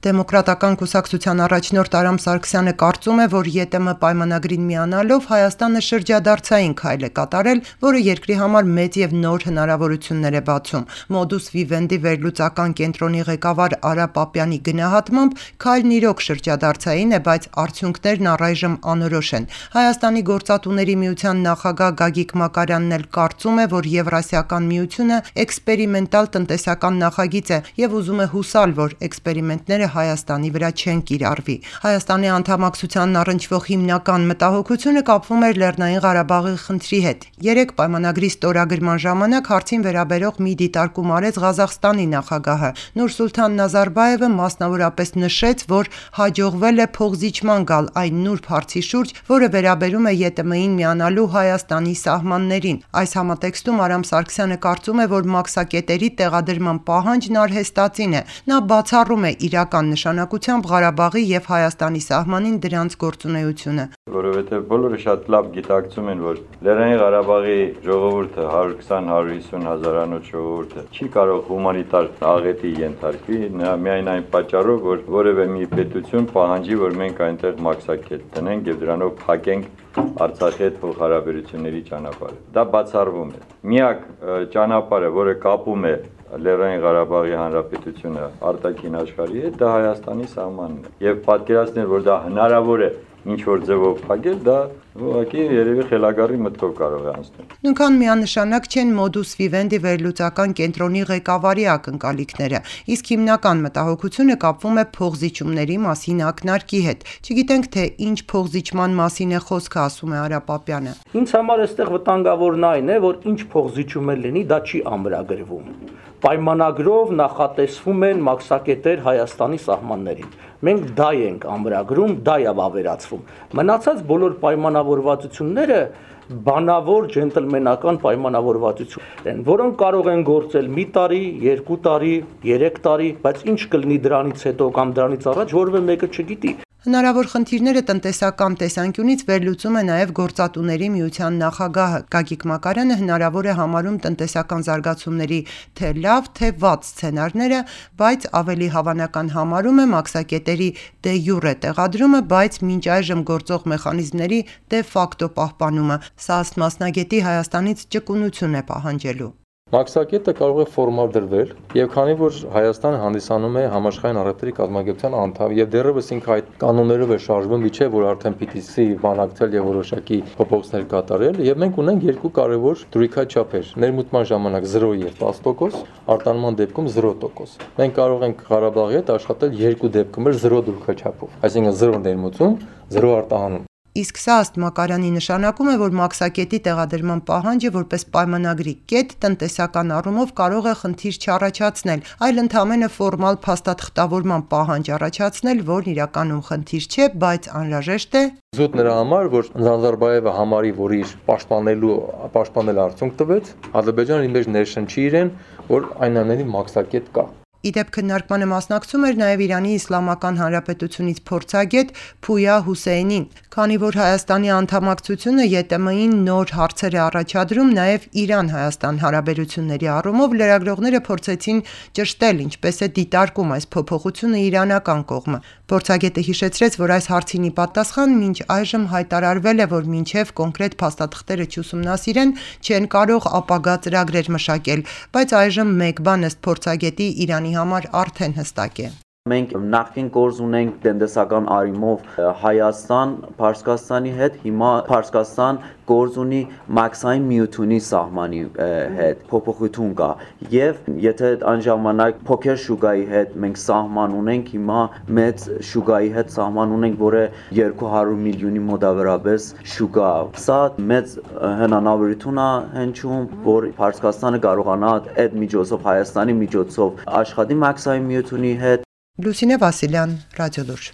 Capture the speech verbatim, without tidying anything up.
Դեմոկրատական կուսակցության առաջնորդ Արամ Սարգսյանը կարծում է, որ ԵՏՄ պայմանագրին միանալով Հայաստանը շրջադարձային քայլ է կատարել, որը երկրի համար մեծ և նոր հնարավորություններ է բացում։ Modus Vivendi վերլուծական կենտրոնի ղեկավար Արա Պապյանի գնահատմամբ քայլն իրոք շրջադարձային է, բայց արդյունքներն առայժմ անորոշ են։ Հայաստանի գործատուների միության նախագահ Գագիկ Մակարյանն էլ կարծում է, որ Եվրասիական միությունը էքսպերիմենտալ տնտեսական նախագիծ է և ուզում է հուսալ, որ էքսպերիմենտները Հայաստանի վրա չեն կիրառվի։ Հայաստանի անդամակցությանն առնչվող հիմնական մտահոգությունը կապվում էր Լեռնային Ղարաբաղի խնդրի հետ։ Երեկ պայմանագրի ստորագրման ժամանակ հարցին վերաբերող մի դիտարկում արեց Ղազախստանի նախագահը։ Նուրսուլթան Նազարբաևը մասնավորապես նշեց, որ հաջողվել է փոխզիջման գալ այն նուրբ հարցի շուրջ, որը վերաբերում է ԵՏՄ-ին միանալու Հայաստանի սահմաններին։ Այս համատեքստում Արամ Սարգսյանը կարծում է, որ մաքսակետերի տեղադրման պահանջն արհեստածին է։ Նա բացառում է իրական նշանակությամբ Ղարաբաղի և Հայաստանի սահմանին դրանց գործունեությունը։ Որովհետև բոլորը շատ լավ գիտակցում են, որ Լեռնային Ղարաբաղի ժողովուրդը հարյուր քսան հարյուր հիսուն հազարանոց ժողովուրդը չի կարող հումանիտար աղետի ենթարկվի, միայն այն պատճառով, որ որևէ մի պետություն պահանջի, որ մենք այնտեղ մաքսակետ տնենք և դրանով փակենք Արցախի հետ փոխհարաբերությունների ճանապարհը։ Դա բացառվում է։ Միակ ճանապարհը, որը կապում է Լեռնային Ղարաբաղի Հանրապետությունը արտաքին աշխարհի հետ, դա Հայաստանի սահմանն է։ Եվ պատկերացնել, որ դա հնարավոր է ինչ-որ ձևով փակել, դա ուղղակի երևի խելագարի մտքով կարող է անցնել։ Նույնքան միանշանակ չեն Modus Vivendi վերլուծական կենտրոնի ղեկավարի ակնկալիքները, իսկ հիմնական մտահոգությունը կապվում է փոխզիջումների մասին ակնարկի հետ։ Չգիտենք, թե ինչ փոխզիջման մասին է խոսքը, ասում է Արա Պապյանը։ Ինձ համար այստեղ վտանգավորն այն է, որ ինչ փոխզիջում էլ լինի, դա չի ամրագրվում։ Պայմանագրով նախատեսվում են մաքսակետեր Հայաստանի սահմաններին։ Մենք դա ենք ամրագրում, դա է ավերացվում։ Մնացած բոլոր պայմանավորվածությունները բանավոր ջենտլմենական պայմանավորվածություններ են, որոնք կարող են գործել մի տարի, երկու տարի, երեք տարի, բայց ինչ կլինի դրանից հետո կամ դրանից առաջ, որևէ մեկը չգիտի։ Հնարավոր խնդիրները տնտեսական տեսանկյունից վերլուծում է նաև գործատուների միության նախագահը։ Գագիկ Մակարյանը հնարավոր է համարում տնտեսական զարգացումների թե լավ, թե վատ սցենարները, բայց ավելի հավանական համարում է մաքսակետերի դե յուրե տեղադրումը, բայց մինչ այժմ գործող մեխանիզմների դե ֆակտո պահպանումը։ Սա ըստ մասնագետի Հայաստանից ճկունություն է պահանջելու։ Մաքսակետը կարող է ֆորմալ դրվել, եւ քանի որ Հայաստանը հանդիսանում է համաշխարհային առևտրի կազմակերպության անդամ եւ դեռևս ինքը այդ կանոններով է շարժվում, իջե որ արդեն պիտի սի բանակցել եւ որոշակի փոփոխություններ կատարել, եւ մենք ունենք երկու կարևոր դրույքաչափեր՝ ներմուծման ժամանակ զրո եւ տասը տոկոս, արտանման դեպքում զրո տոկոս։ Մենք կարող ենք Ղարաբաղի հետ աշխատել երկու դեպքում էլ զրո դրույքաչափով, այսինքն զրո ներմուծում, զրո արտահանում։ Իսկ սա ըստ Մակարյանի նշանակում է, որ մաքսակետի տեղադրման պահանջը որպես պայմանագրի կետ տնտեսական առումով կարող է խնդիր չառաջացնել, այլ ընդամենը ֆորմալ փաստաթղթավորման պահանջ առաջացնել, որն իրականում խնդիր չէ, բայց անհրաժեշտ է զուտ նրա համար, որ Նազարբաևը համարի, որ իր պաշտպանելու պաշտպանել արդյունք տվեց, Ադրբեջանը իր մեջ ներշնչի իրեն, որ այնուամենայնիվ մաքսակետ կա։ Իդեպ քննարկմանը մասնակցում էր նաև Իրանի Իսլամական Հանրապետությունից փորձագետ Փույա Հուսեյնին, քանի որ Հայաստանի անդամակցությունը ԵՏՄ-ին նոր հարցեր է առաջադրում նաև Իրան-Հայաստան հարաբերությունների առումով, լրագրողները փորձեցին ճշտել ինչպես է դիտարկում այս փոփոխությունը իրանական կողմը։ Փորձագետը հիշեցրեց, որ այս հարցին ի պատասխան մինչ այժմ հայտարարվել է, որ մինչև կոնկրետ փաստաթղթերը չուսումնասիրեն, չեն կարող ապագա ծրագրեր մշակել, բայց այժմ մեկ բան ըստ փորձագետի Իրանի համար արդեն հստակ է։ Մենք նախկին գործ ունենք տնտեսական առումով Հայաստան, Փարսկաստանի հետ, հիմա Փարսկաստան գործ ունի մաքսային միությունի սահմանի հետ, փոփոխություն կա։ Եվ եթե այն ժամանակ փոքր շուկայի հետ մենք սահման ունենք, հիմա մեծ շուկայի հետ սահման ունենք, որը երկու հարյուր միլիոնի մոտավորապես շուկա։ Սա մեծ հնարավորություն է հնչում, որ Փարսկաստանը կարողանա այդ միջոցով Հայաստանի միջոցով աշխատի մաքսային միությունի հետ։ Լուսինե Վասիլյան, Ռադիոլուր։